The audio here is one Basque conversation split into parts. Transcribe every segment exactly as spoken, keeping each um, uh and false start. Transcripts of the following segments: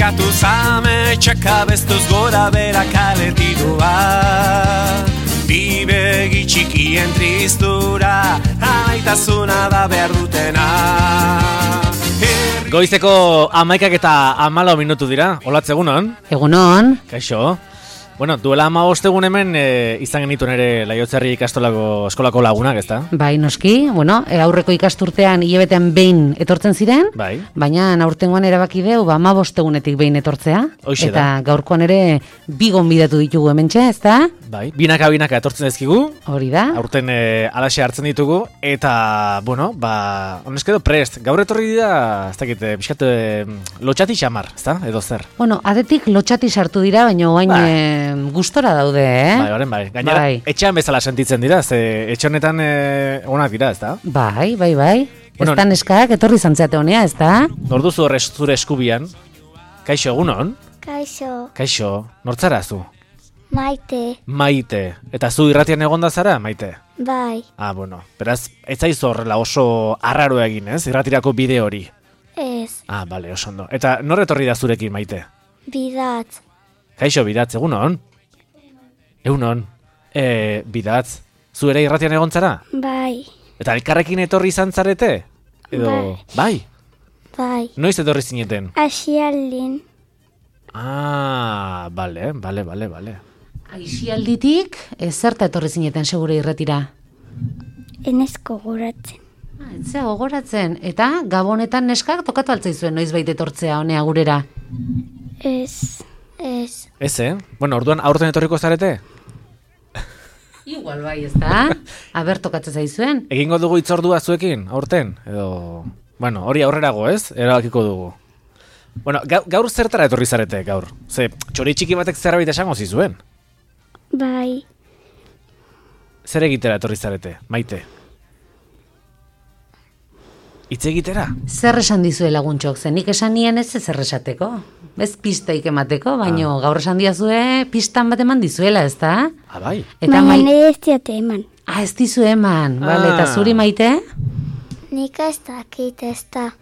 Eskatu zame txakabeztuz gora bera kaletidua. Bi begi txikien tristura, amaitasuna da behar dutena. Goizeko amaikak eta amalau minutu dira, olatz egunon? Egunon. Kaixo. Bueno, duela ama ostegun hemen e, izan genituen ere Laiotzerri ikastolako eskolako lagunak, ezta? Bai, noski, bueno, e, aurreko ikasturtean hilabetean behin etortzen ziren, bai. Baina aurtengoan erabaki deu, ba, ama bostegunetik behin etortzea. Hoixe eta da. Gaurkoan ere bi gonbidatu ditugu hementxe, ezta? Bai, binaka binaka etortzen dizkigu. Hori da. Aurten e, alaxe hartzen ditugu, eta, bueno, ba, honeskedo prest. Gaur etorri dira, ez dakit, pixkat, lotxati xamar, ezta? Edo zer? Bueno, adetik lotxati sartu dira, baina oain Bai. e, gustora daude, eh? Bai, horren bai. Gainera, bai. Etxean bezala sentitzen dira, ze etxe honetan e, onak dira, ezta? Bai, bai, bai. Bueno, ez da neskak, etorri zantzeate honea, ez da? Norduzu horre zure eskubian. Kaixo, egunon? Kaixo, Kaixo, nortzara zu? Maite, Maite. Eta zu irratian egonda zara, Maite? bai, Ah, bueno. Beraz, ez zaizu horrela oso arraro egin, ez? Irratirako bide hori. ez, Ah, bale, oso ondo. Eta nor etorri da zurekin, Maite? bidatz, Kaixo, bidatz, egunon? Egunon. E, bidatz, zu ere irratian egon zara? bai, Eta elkarrekin etorri izan zarete? Edo, bai? bai, Noiz etorri zineten? asialdin, Ah, bale, bale, bale, bale. Aixialditik, ez zerta etorri zineten segure irretira. enezko goratzen, Ah, etzea gogoratzen. Eta Gabonetan neskak tokatu altzaizuen noizbait etortzea honea gurera. ez, ez, Ez, eh? Bueno, orduan aurten etorriko zarete? Igual bai, ez da? Aber tokatzen zaizuen. Egingo dugu itzordua zuekin, aurten? Edo... Bueno, hori aurrerago, ez? Erabakiko dugu. Bueno, gaur, gaur zertara etorri zarete, gaur? Ze, txori txiki batek zerbait esango zizuen? bai, Zer egitera etorri zarete, Maite? Hitz egitera? Zer esan dizue laguntxok, zen nik esan nien ez zer esateko. Ez pistaik emateko, baino gaur esan diazue pistan bat eman dizuela, ez da? Ah, bai? Eta baina mai... nire ez diate eman, Ah, ez dizu eman, bale, eta Ah. zuri Maite? nik ez dakit ez da,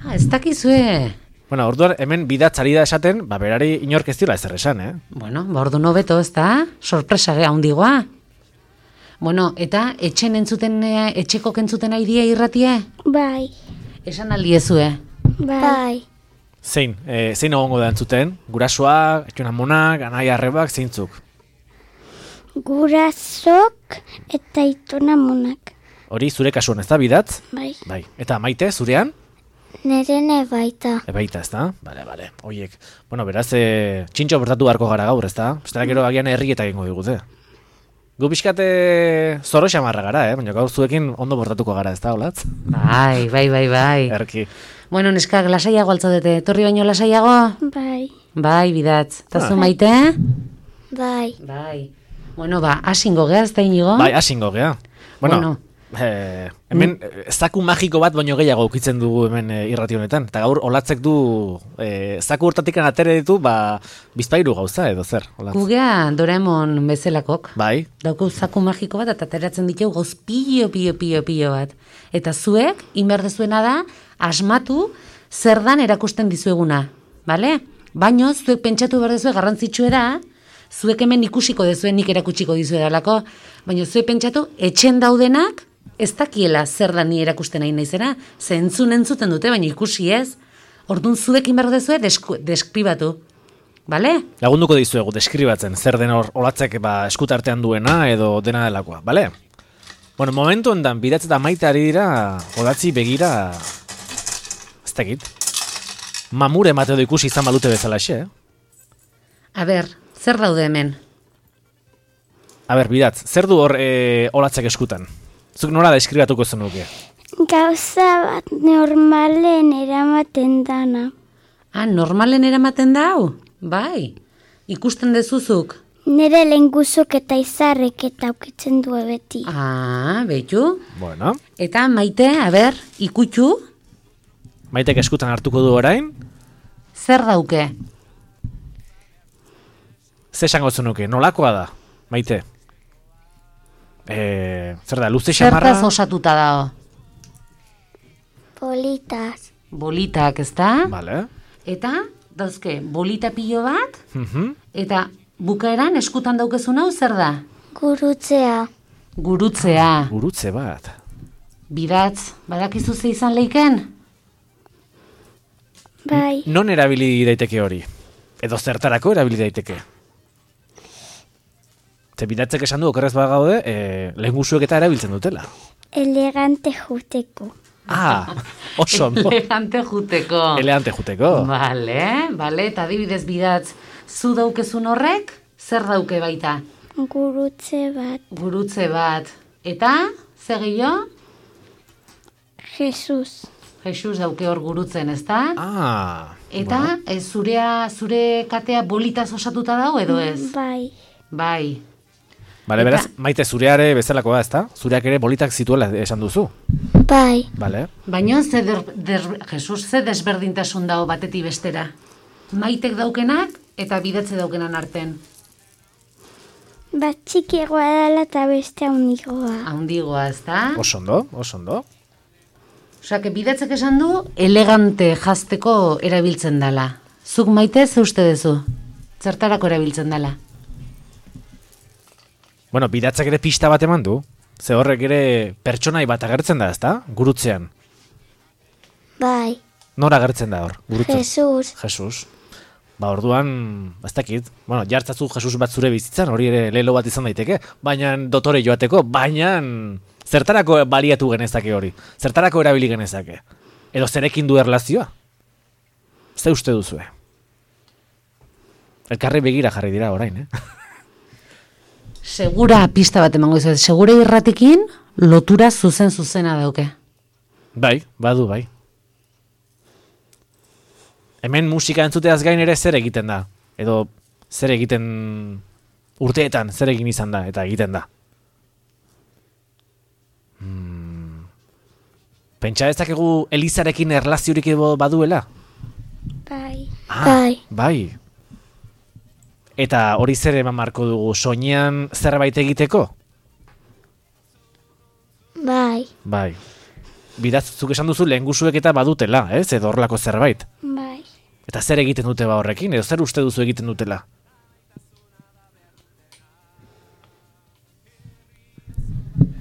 Ah, ez dakizue. Bueno, orduan hemen bidatzari da esaten, ba, berari inork ez dira ezer esan, eh? Bueno, ba ordu nobeto, ez da? Sorpresa gea handigoa. Bueno, eta etxen entzuten, eh, etxeko kentzuten aidie irratie? bai, Esan aldiezue. bai, Zein, e, zein egongo da entzuten? Gurasoak, etxonamonak, anai arrebak, zeintzuk? gurazok eta itonamonak, Hori zure kasuan ez da, bidatz? bai, Bai. Eta Maite, zurean? nirene baita, Ebaita, ez da? Bale, bale, oiek. Bueno, beraz, e, txintxo portatu beharko gara gaur, ez da? Bestela gero agian herri eta egingo digute. Gu pixkate zoro xamarra gara, eh? Baina gaur zuekin ondo portatuko gara, ez da, olatz? Bai, bai, bai, bai. Erki. Bueno, neskak lasaiago altzaudete, torri baino lasaiago? bai, Bai, bidatz. Eta zu Ah. Maite? bai, Bai. Bueno, ba, asingo gea, ez da inigo? Bai, asingo gea. Bueno, Bueno. eh, hemen eh, zaku magiko bat baino gehiago ukitzen dugu hemen eh, irrati honetan. Eta gaur olatzek du eh, zaku hortatikan atere ditu, ba, bizpairu gauza edo zer, olatz. Gugea Doraemon bezalakok. Bai, Dauku zaku magiko bat eta ateratzen ditu gauz pilo, pilo, pilo, pilo bat. Eta zuek, inberdezuena da, asmatu zer dan erakusten dizueguna, bale? Baino, zuek pentsatu behar dezue garrantzitsue da, zuek hemen ikusiko dezuen nik erakutsiko dizuedalako, baina zuek pentsatu, etxen daudenak, ez dakiela zer da ni erakusten nahi naizera, ze entzun entzuten dute, baina ikusi ez, orduan zuek inberdu dezue desku, deskribatu, bale? lagunduko dizuegu deskribatzen zer den hor olatzek ba, eskutartean duena edo dena delakoa, bale? Bueno, momentu ondan bidatz eta Maite ari dira olatzi begira, ez dakit, mamure emate edo ikusi izan balute bezalaxe, eh? A ber, zer daude hemen? A ber, bidatz, zer du hor e, olatzek eskutan? Zuk nola deskribatuko zenuke? gauza bat normalen eramaten dana, Ah, normalen eramaten da hau? Bai, ikusten dezuzuk. nire lehenguzuk eta izarrek eta aukitzen du beti, Ah, behitu. Bueno, Eta Maite, a ber, ikutxu, Maitek eskutan hartuko du orain, zer dauke? ze esango zenuke, nolakoa da, Maite? E, zer da, luze xamarra? Zertaz osatuta dago? politaz, Bolitak, ez da? Vale. Eta dauzke bolita pilo bat, Mhm. eta bukaeran eskutan daukezun hau zer da? Gurutzea. Gurutzea. Gurutze bat. Bidatz, badakizu ze izan leiken? Bai. Non erabili daiteke hori? Edo zertarako erabili daiteke? Ze bidatzek esan du, okerrez bagaude, e, lehengusuek eta erabiltzen dutela. Elegante juteko. Ah, oso ondo. Elegante juteko. Elegante juteko. Bale, bale, eta adibidez bidatz, zu daukezun horrek, zer dauke baita? Gurutze bat. Gurutze bat. Eta, zer gehiago? Jesus. Jesus dauke hor gurutzen, ezta? Ah. Eta, ez, zurea, zure katea bolitaz osatuta dago edo ez? Bai. Bai. Bale, Eta- beraz, maite zureare bezalakoa, ezta? Zureak ere bolitak zituela esan duzu. Bai. Bale. Baina, ze der, der, Jesus, ze desberdintasun dago batetik bestera? Maitek daukenak eta bidatze daukenan arten. Bat txikiagoa dela eta beste handigoa. Haundigoa, ezta? Oso ondo, oso ondo. Osea, que bidatzek esan du, elegante jazteko erabiltzen dela. Zuk maite ze uste duzu? Zertarako erabiltzen dela? Bueno, bidatzak ere pista bat eman du. Ze horrek ere pertsonai bat agertzen da, ezta? Gurutzean. Bai. Nora agertzen da hor? Gurutzean. Jesus. Jesus. Ba, orduan, ez dakit, bueno, jartzazu Jesus bat zure bizitzan, hori ere lelo bat izan daiteke, baina dotore joateko, baina zertarako baliatu genezake hori, zertarako erabili genezake, edo zerekin du erlazioa? Ze uste duzue? Elkarri begira jarri dira orain, eh? Segura pista bat emango izuet, segura irratikin lotura zuzen zuzena dauke. Bai, badu, bai. Hemen musika entzuteaz gain ere zer egiten da, edo zer egiten urteetan, zer egin izan da, eta egiten da. Hmm. Pentsa dezakegu Elizarekin erlaziorik edo baduela? Bai. Ah, Bai. bai. Eta hori zer eman marko dugu, soinean zerbait egiteko? Bai. Bai. Bidatzuk esan duzu lehengusuek eta badutela, ez? Edo horrelako zerbait. Bai. Eta zer egiten dute ba horrekin, edo zer uste duzu egiten dutela?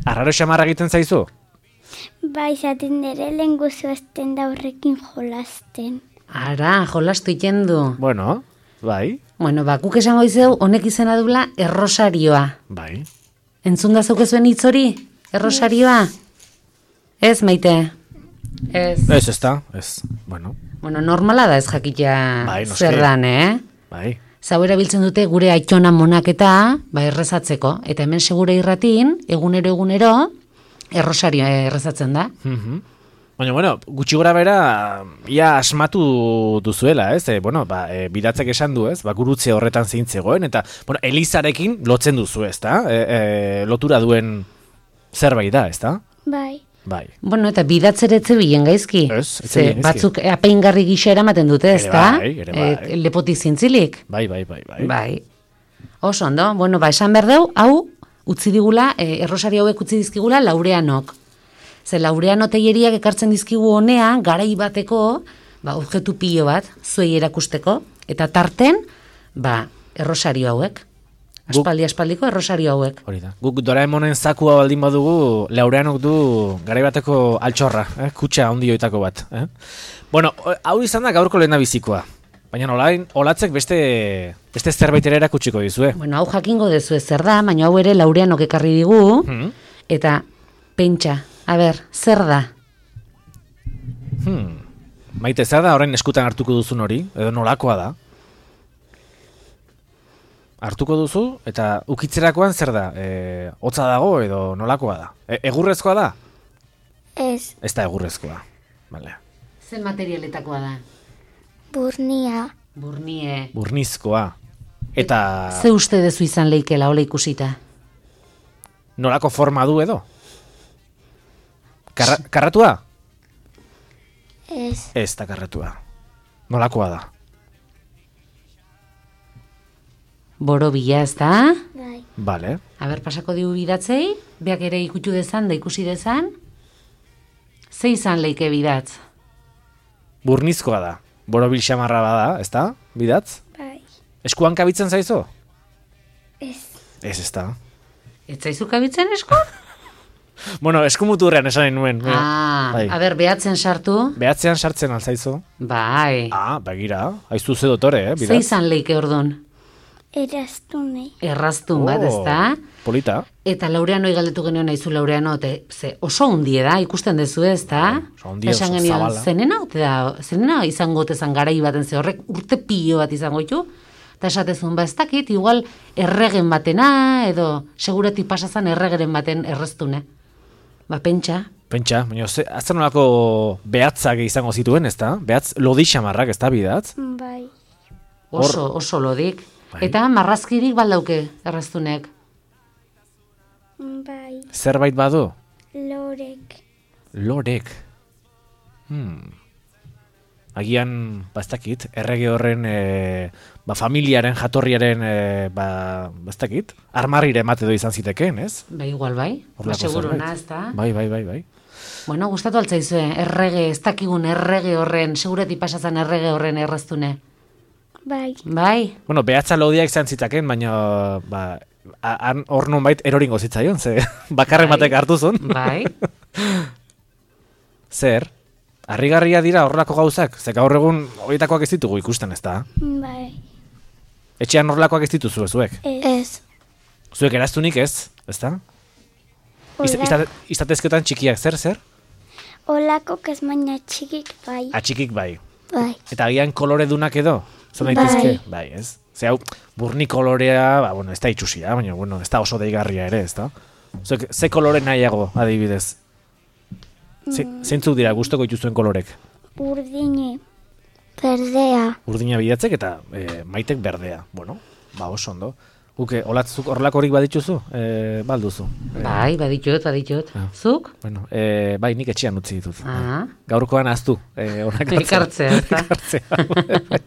Arraro xamarra egiten zaizu? Bai, zaten dere lenguzu esten da horrekin jolasten. Ara, jolastu iten du. Bueno, bai, Bueno, ba, guk esango izeu, honek izena dula errosarioa. bai. Entzun da zeukezuen hitz hori? Errosarioa? Ez, maite? Ez. Ez, ez da, ez, bueno, Bueno, normala da ez jakitea Bai, noski. zer dan, eh? bai. Zau erabiltzen dute gure aitona monaketa, ba, errezatzeko. Eta hemen segure irratin, egunero egunero, errosarioa errezatzen da. Mhm. Baina, bueno, gutxi gora bera, ia asmatu duzuela, ez? E, bueno, ba, e, bidatzek esan du, ez? Ba, gurutze horretan zeintzegoen, eta, bueno, Elizarekin lotzen duzu, ez da? E, e, lotura duen zerbait da, ez da? Bai. Bai. Bueno, eta bidatzeretze bilen gaizki. Ez, ez Ze bilen gaizki. batzuk apeingarri gisa eramaten dute, ez Ere da? bai, ere bai. lepotik zintzilik. Bai, bai, bai, bai. Bai. Oso ondo, bueno, ba, esan behar deu, hau, utzi digula, e, errosari hauek utzi dizkigula laureanok. Ze laureano teieriak ekartzen dizkigu honea, garai bateko, ba, objektu pilo bat, zuei erakusteko, eta tarten, ba, errosario hauek. Guk- Aspaldi aspaldiko errosario hauek. Hori da. Guk Doraemonen zakua baldin badugu, Laureanok du garai bateko altxorra, eh? Kutxa handioitako bat. Eh? Bueno, hau izan da gaurko lehena bizikoa. Baina olain, olatzek beste, beste zerbait ere erakutsiko dizue. Bueno, hau jakingo dezu zer da, baina hau ere laureanok ekarri digu, Hmm. eta pentsa, a ber, zer da? Hmm. Maite, zer da horren eskutan hartuko duzun hori? Edo nolakoa da? Hartuko duzu, eta ukitzerakoan zer da? E, hotza dago edo nolakoa da? E, egurrezkoa da? Ez. Ez da egurrezkoa. Vale. Zer materialetakoa da? Burnia. Burnie. Burnizkoa. Eta Ze uste dezu izan leikela, hola ikusita? nolako forma du edo? Karra, karratua? Ez. Ez da karratua. Nolakoa da? Borobila, ez da? Bai. Vale. Aber, pasako digu bidatzei, beak ere ikutu dezan da ikusi dezan. Ze izan leike bidatz? Burnizkoa da. Borobil xamarra bada, ezta? Bidatz? Bai. Eskuan kabitzen zaizu? Ez. Ez, ezta. Ez zaizu kabitzen esku? Bueno, eskumuturrean esan nuen. Ah, bai. a ber, behatzen sartu. Behatzean sartzen alzaizu? Bai. Ah, begira. Aizu ze dotore, eh? Ze Bidatz. izan leike ordun? Eraztune. Erraztun bat, Oh, ezta? Polita. Eta Laureano galdetu genuen naizu Laureano, te, ze oso hundie da, ikusten dezu ezta? oso hundia, Esan oso genion, zabala. zenena, ote da, zenena izango tezan garai baten, ze horrek urte pilo bat izango ditu, eta esatezun, ba ez dakit, igual erregen batena, edo segurati pasazan erregeren baten erreztune. Ba, pentsa. Pentsa, baina azten nolako behatzak izango zituen, ezta? Behatz lodi xamarrak, ezta bidatz? Bai. Oso, oso lodik. Bai. Eta marrazkirik baldauke erreztunek. Bai. Zerbait badu? Lorek. Lorek. Hmm. Agian, ba ez dakit, errege horren, e, ba, familiaren, jatorriaren, e, ba, ba ez dakit, armarrire emate do izan zitekeen, ez? Ba, igual bai. Ba, Horrelako seguro zerbait. na, ezta? Bai, bai, bai, bai. Bueno, gustatu altzaizue, errege, ez dakigun errege horren, segurati pasazan errege horren erraztune. Bai. Bai, Bueno, behatza lodiak izan zitaken, baina, ba, a- han hor nonbait eroringo zitzaion, ze bakarren Bai. batek hartu zuen. bai. Zer? Harrigarria dira horrelako gauzak, ze gaur egun horietakoak ez ditugu ikusten, ezta? Bai. Etxean horrelakoak ez dituzu zuek. Ez. Zuek eraztunik ez, ezta? Iz- Hola. izate- Izatezketan txikiak, zer, zer? Olako kesmaina txikik bai. Atxikik bai. Bai. Eta agian kolore dunak edo? Zan Bai. daitezke? Bai, ez? Ze hau, burni kolorea, ba, bueno, ez da itxusia, baina, bueno, ez da oso deigarria ere, ez da? Zuek, ze kolore nahiago, adibidez? Ze, zeintzuk dira gustoko dituzuen kolorek? Urdine. Berdea. Urdina bidatzek eta e, maitek berdea. Bueno, ba oso ondo. Guke, olatzuk horrelakorik badituzu? E, balduzu. E, Bai, baditut, baditut. Ah. Zuk? Bueno, e, bai, nik etxean utzi ditut. Ah. Gaurkoan aztu. E, onak Ekartzea, ezta? Ekartzea.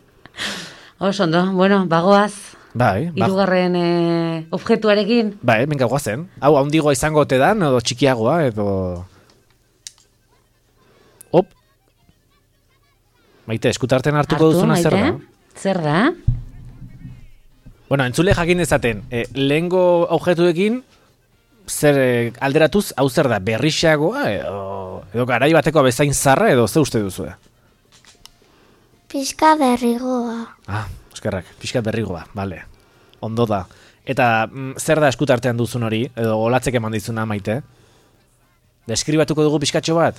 Oso ondo, bueno, bagoaz, Bai, ba, hirugarren eh, objektuarekin. bai, benga guazen. Hau, handigoa izango ote dan, edo txikiagoa, edo... Hop! Maite, eskutarten hartuko Hartu, duzuna zer da? Maite? Zer da? Bueno, entzule jakin dezaten, e, lehengo objektuekin, zer e, alderatuz, hau zer da, berrixagoa, edo, edo garai bateko bezain zarra, edo ze uste duzu? Pizka berrigoa. Ah, eskerrak, pixkat berrigoa, bale, ondo da. Eta mm, zer da eskutartean duzun hori, edo olatzek eman dizuna, Maite? Deskribatuko dugu pixkatxo bat?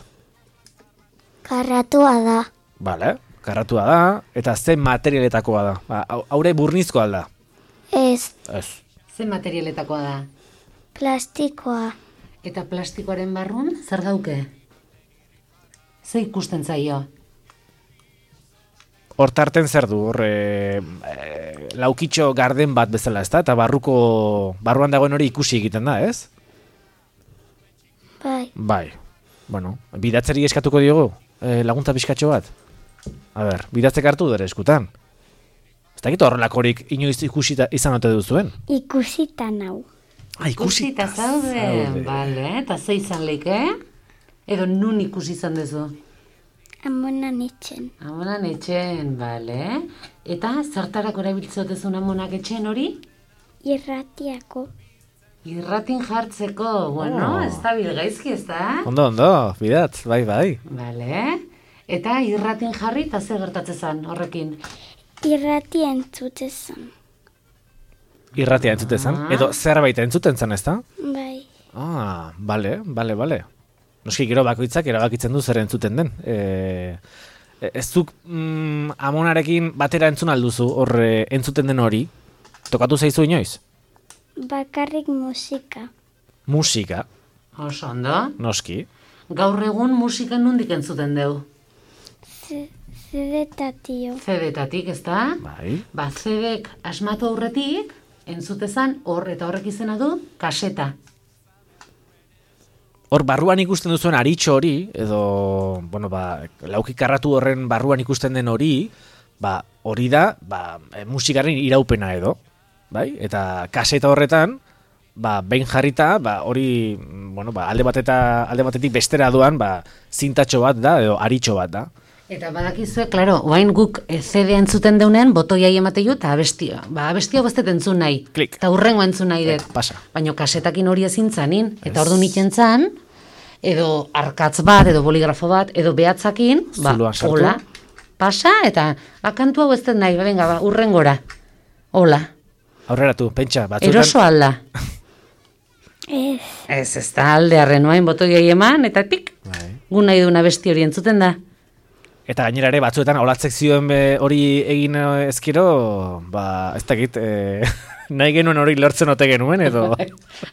Karratua da. Bale, karratua da, eta ze materialetakoa da. Ba, hau- haure burnizko alda. Ez. Ez. Ze materialetakoa da? Plastikoa. Eta plastikoaren barrun, zer dauke? Ze ikusten zaio? Hortarten zer du, hor, e, e, laukitxo garden bat bezala, ezta? Eta barruko, barruan dagoen hori ikusi egiten da, ez? Bai. Bai. Bueno, bidatzeri eskatuko diogu, e, laguntza pixkatxo bat. A ber, bidatzek hartu dure eskutan. Ez dakit horrelakorik inoiz ikusita izan ote duzuen? Ikusita nau. Ah, Ikusita zaude, bale, eta ze izan leike? Edo nun ikusi izan dezu? Amonan itxen. Amonan etxen, bale. Eta zertarako erabiltzotezun amonak etxen hori? Irratiako. Irratin jartzeko, bueno, Oh. ez da bilgaizki, ez da? Ondo, ondo, bidatz, bai, bai. Bale. Eta irratin jarri eta ze gertatzen horrekin? Irrati entzutezan. Irratia entzuten zen, edo zerbait entzuten zen, ezta? Bai. Ah, bale, bale, bale. Noski gero bakoitzak erabakitzen du zer entzuten den. E, ez zuk mm, amonarekin batera entzun alduzu hor e, entzuten den hori? Tokatu zaizu inoiz? Bakarrik musika. Musika, Oso ondo. noski. Gaur egun musika nondik entzuten deu? Z- Zedetatio. Zedetatik, ez da? Bai. Ba, zedek asmatu aurretik, entzutezan hor eta horrek izena du, kaseta. Hor barruan ikusten duzuen aritxo hori, edo, bueno, ba, lauki karratu horren barruan ikusten den hori, ba, hori da, ba, e, musikaren iraupena edo, bai? Eta kaseta horretan, ba, behin jarrita, ba, hori, mm, bueno, ba, alde bateta, alde batetik bestera doan, ba, zintatxo bat da, edo aritxo bat da. Eta badakizue, klaro, oain guk C D entzuten deunen, botoiai emateiu eta abestia. Ba, abestia bostet entzun nahi. Klik. Eta hurrengo entzun nahi dut. Pasa. Baina kasetakin hori ezin zanin. Eta ordu niken zan, edo arkatz bat, edo boligrafo bat, edo behatzakin, ba, Zuloan sartu. hola, pasa, eta akantu hau ez dut nahi, ba, venga, ba, hurrengora. Hola. Aurreratu, pentsa, batzuetan... Eroso alda. Ez. Ez, ez da aldearren oain botoiai eman, eta tik, Bai. gu nahi duna besti hori entzuten da. Eta gainera ere batzuetan olatzek zioen be hori egin eh, ezkero, ba, ez dakit, eh, nahi genuen hori lortzen ote genuen, edo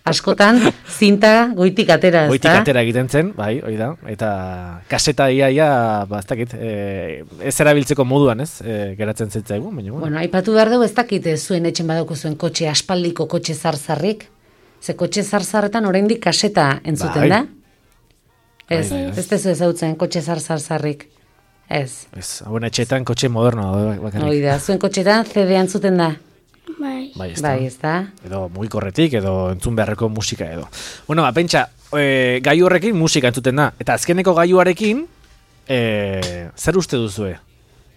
Askotan, zinta goitik atera, ez goitik da? atera egiten zen, bai, hori da, eta kaseta ia, ia, ba, ez dakit, eh, ez erabiltzeko moduan, ez, eh, geratzen zitzaigu, baina, bueno. Bueno, aipatu behar dugu ez dakit eh, zuen etxen badauko zuen kotxe, aspaldiko kotxe zarzarrik. Ze kotxe zarzarretan oraindik kaseta entzuten Bai. da? Ez, Bai, bai, bai. ez tezu ezautzen kotxe zarzarrik. Ez. Ez, hauen etxeetan kotxe moderno daude bakarrik. Hoi da, zuen kotxetan C D entzuten da? Bai. Bai, ez da. Bai, ez da? Edo mugikorretik, edo entzun beharreko musika edo. Bueno, ba, pentsa, e, gaiu horrekin musika entzuten da. Eta azkeneko gaiuarekin, e, zer uste duzue?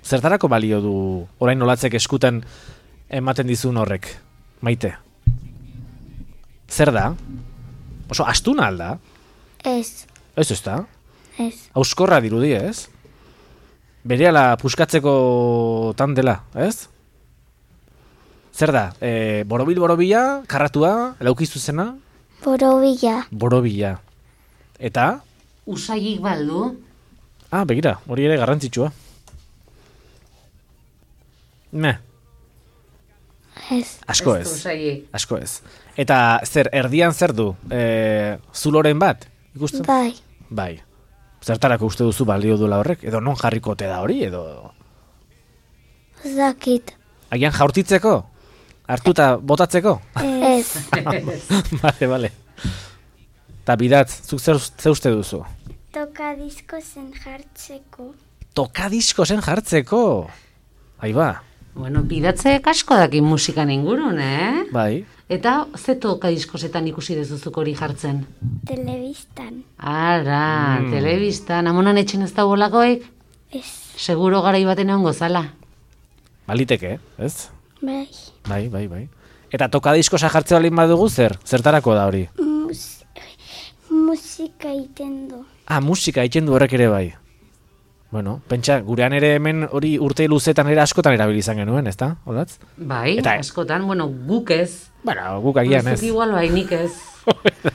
Zertarako balio du orain olatzek eskutan ematen dizun horrek? Maite? Zer da? Oso astuna alda? Ez. Ez ez da? Ez. Auskorra dirudi, ez? Berehala puskatzeko tan dela, ez? Zer da? E, borobil borobila, karratua, laukizu zena? Borobila. Borobila. Eta? Usaiik baldu? Ah, begira, hori ere garrantzitsua. Ne, Ez. asko Ez du ez. usaiik. Asko ez. Eta zer, erdian zer du? E, zuloren bat? Ikusten? Bai. Bai. Zertarako uste duzu balio duela horrek? Edo non jarriko ote da hori? Edo... Ez dakit. Agian jaurtitzeko? Hartuta botatzeko? Ez. Bale, bale. Eta bidatz, zuk zer, zer uste duzu? Toka disko zen jartzeko. Tokadisko zen jartzeko? Aiba, Bueno, bidatzek asko daki musikan ingurun, eh? bai. Eta ze toka diskosetan ikusi dezuzuk hori jartzen? Telebistan. Ara, Mm. telebistan, amonan etxen ez da bolakoik? Ez. Seguro garai baten egon gozala. Baliteke, ez? Bai. Bai, bai, bai. Eta tokadiskosa jartze balin badugu zer? Zertarako da hori? Mus musika iten du. Ah, musika egiten du horrek ere bai. Bueno, pentsa, gurean ere hemen hori urte luzetan ere askotan erabili izan genuen, ezta? Olatz? Bai, Eta- askotan, bueno, guk ez. Bueno, guk agian ez. Zuk igual bai, nik ez.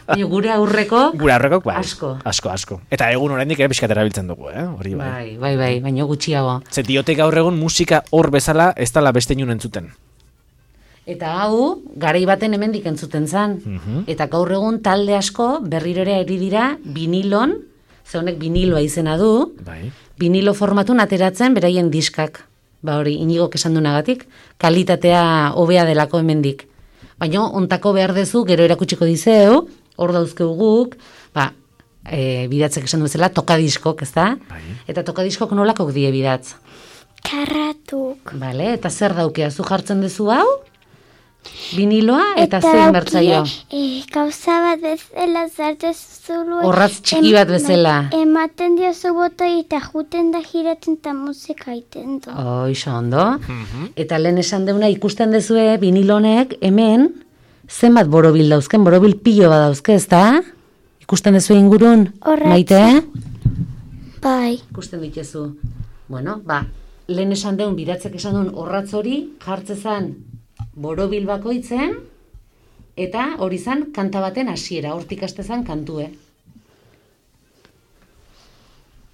Baina gure aurreko, Gure aurrekok, bai. Asko. Asko, asko. Eta egun oraindik ere pixkat erabiltzen dugu, eh? Hori bai. bai, bai, bai, baina gutxiago. Ze diote gaur egun musika hor bezala ez dala beste inun entzuten. Eta hau, garai baten hemendik entzuten zan. Mhm. Eta gaur egun talde asko berriro ere eri dira vinilon, ze honek viniloa izena du, Bai. vinilo formatun ateratzen beraien diskak. Ba hori, inigok esan dunagatik, kalitatea hobea delako hemendik. Baina ontako behar dezu, gero erakutsiko dizeu, hor dauzkeu guk, ba, e, bidatzek esan duzela, tokadiskok, ez da? Bai. Eta tokadiskok nolakok die bidatz. Karratuk. Bale, eta zer daukea, zu jartzen duzu hau? Viniloa eta zein bertzaio? E, gauza bat bezala zartu zulu. Orratz txiki bat bezala. Ematen diozu botoi eta juten da giratzen eta musika iten du. Oixo, ondo. Eta lehen esan deuna ikusten dezue vinilonek hemen zenbat borobil dauzken, borobil pilo bat dauzke, ez da? Ikusten dezu ingurun, Orratz. Maite? Bai. Ikusten dituzu. Bueno, ba, lehen esan deun, bidatzek esan duen orratz hori jartzezan borobil bakoitzen, eta hori zan kanta baten hasiera, hortik hastezan kantue.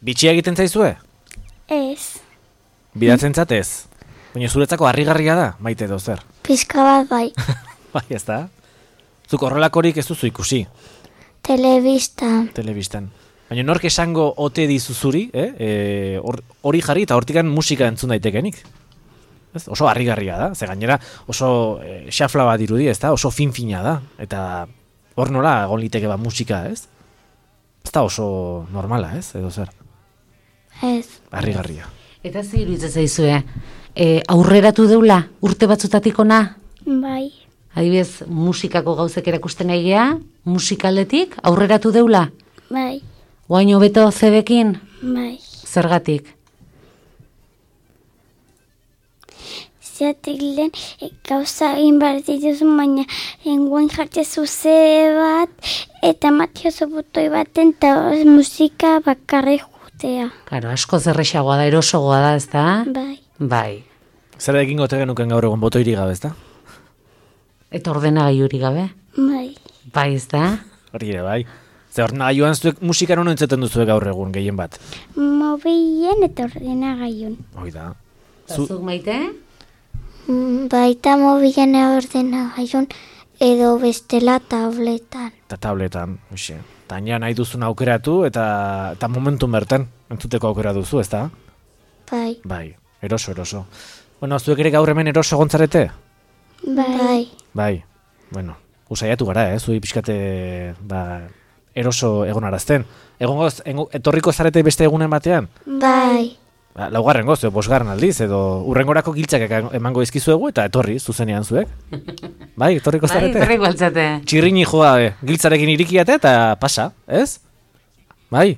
Bitxia egiten zaizue? Ez. Bidatzen zatez? Baina zuretzako harrigarria da, Maite edo zer? Pizka bat bai. Bai, ez da? Zuk horrelakorik ez duzu ikusi, Telebistan. telebistan. Baina nork esango ote dizuzuri, eh? E, hor- hori jarri eta hortikan musika entzun daitekenik. Ez? Oso harrigarria da, ze gainera oso e, xafla bat irudi, ez da? Oso fin-fina da. Eta hor nola egon liteke ba musika, ez? Ez da oso normala, ez? Edo zer? Ez. Harrigarria. Eta ze iruditzen zaizue, e, aurreratu deula urte batzutatik ona? Bai. Adibidez, musikako gauzek erakusten nahi gea, musikaldetik aurreratu deula? Bai. Oain hobeto zebekin? Bai. Zergatik? izatik lehen e, gauza egin behar dituzu, baina enguan jartzezu ze bat, eta matiozu botoi baten, eta musika bakarri jutea. Karo, asko zerrexagoa da, erosogoa da, ez da? Bai. Bai. Zer egin gote genuken gaur egun botoirik gabe, ez da? Eta ordenagailurik gabe? Bai. Bai, ez da? Hori ere, bai. Ze ordenagailuan zuek musikan hono entzuten duzuek gaur egun, gehien bat. Mobilen eta ordenagaiun. Hoi da. Zu... Zuk maite? Baita mobilen ordenagaiun edo bestela tabletan. Eta tabletan, hoxe. Taina nahi duzun aukeratu eta, eta momentu berten entzuteko aukera duzu, ez da? Bai. Bai, eroso, eroso. Bueno, zuek ere gaur hemen eroso gontzarete? Bai. Bai, bueno, usaiatu gara, eh? Zui pixkate, ba, eroso egonarazten. Egongoz, etorriko zarete beste egunen batean? Bai. Ba, laugarren goz, edo bosgarren aldiz, edo urrengorako giltzak emango izkizuegu eta etorri, zuzenean zuek. Bai, etorriko zarete? Bai, etorriko altzate. Txirrini joa, be, giltzarekin irikiate eta pasa, ez? Bai?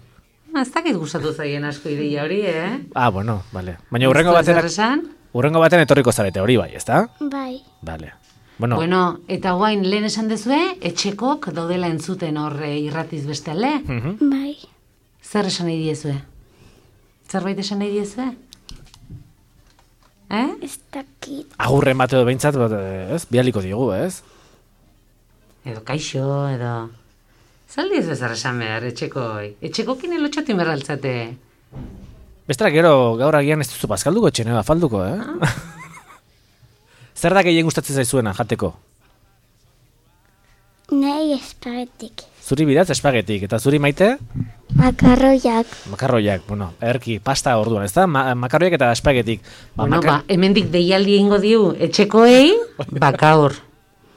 Ez dakit gustatu zaien asko ideia hori, eh? Ah, bueno, vale. Baina urrengo batean, urrengo batean etorriko zarete, hori bai, ez da? Bai. Vale. Bueno, bueno, eta guain lehen esan dezue, etxekok daudela entzuten horre irratiz beste alde? uh-huh. Bai. Zer esan nahi diezue? Zerbait esan nahi diezue? Eh? Ez dakit. Agurren bat edo behintzat, bat, ez? Bialiko digu, ez? Edo kaixo, edo... Zaldi ez bezar esan behar, etxekoi. Etxekokin elotxatu inberraltzate. Bestela gero gaur agian ez duzu bazkalduko etxene falduko, eh? Ah. Zer da gehien gustatzen zaizuena jateko? Nahi espagetik. Zuri bidatz espagetik, eta zuri maite? Makarroiak. Makarroiak, bueno, erki, pasta orduan, ez da? Ma makarroiak eta espagetik. Ba, bueno, makar... ba, hemendik deialdi egingo diu etxekoei, bakaur.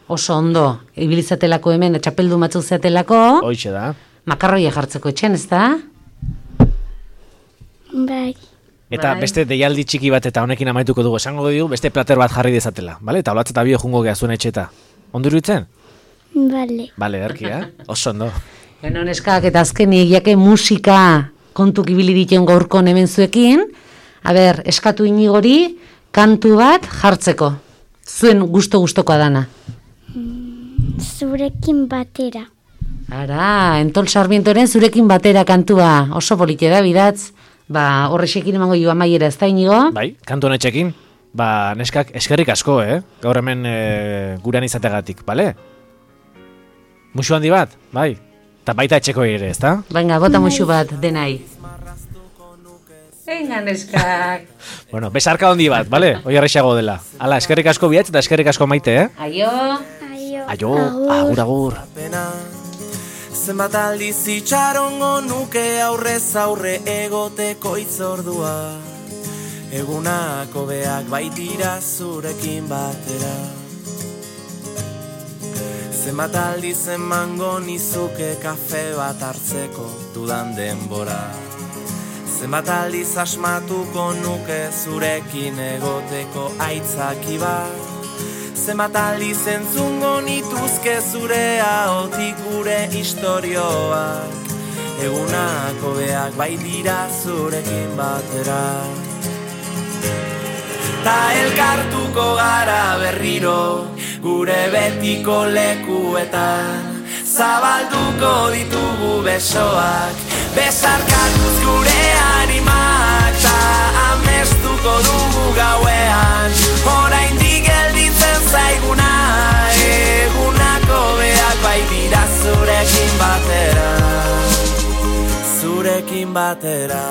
Oso ondo, ibilizatelako hemen, etxapeldu matzu zeatelako. Hoixe da. Makarroia jartzeko etxen, ez da? Bai. Eta bai. Beste deialdi txiki bat eta honekin amaituko dugu, esango dugu beste plater bat jarri dezatela, bale? Eta holatz eta bio jungo geha zuen etxeta. Ondo iruditzen? Bale. Bale, erki, eh? Oso ondo. Bueno, neskak, eta azkenik, jake musika kontuk ibili dituen gaurko hemen zuekin, a ber, eskatu inigori, kantu bat jartzeko. Zuen gusto-gustokoa dana. Zurekin batera. Ara, Entol Sarmientoren zurekin batera kantua. Oso polite da, bidatz. Ba, horrexekin emango joa maiera, ez da inigo? Bai, kantu honetxekin. Ba, neskak eskerrik asko, eh? Gaur hemen e, gurean izategatik, bale? Muxu handi bat, bai? Eta baita etxeko ere, ez da? Venga, bota muxu bat, denai. Venga, neskak. Bueno, besarka handi bat, bale? Hoi arrexago dela. Hala, eskerrik asko bihatz eta eskerrik asko maite, eh? Aio. Aio. Aio, agur, agur. Zenbat aldiz itxarongo nuke aurrez aurre egoteko itzordua. Egunako beak baitira zurekin batera. Zenbat aldiz emango nizuke kafe bat hartzeko dudan denbora. Zenbat aldiz asmatuko nuke zurekin egoteko aitzaki bat. Zenbat aldiz entzungo nituzke zure ahotik gure istorioak. Egunako beak baitira zurekin batera. Ta elkartuko gara berriro gure betiko lekuetan. Zabalduko ditugu besoak, besarkatuz gure animak. Ta amestuko dugu gauean, oraindik gelditzen zaiguna. Egunako beak baitira zurekin batera, zurekin batera.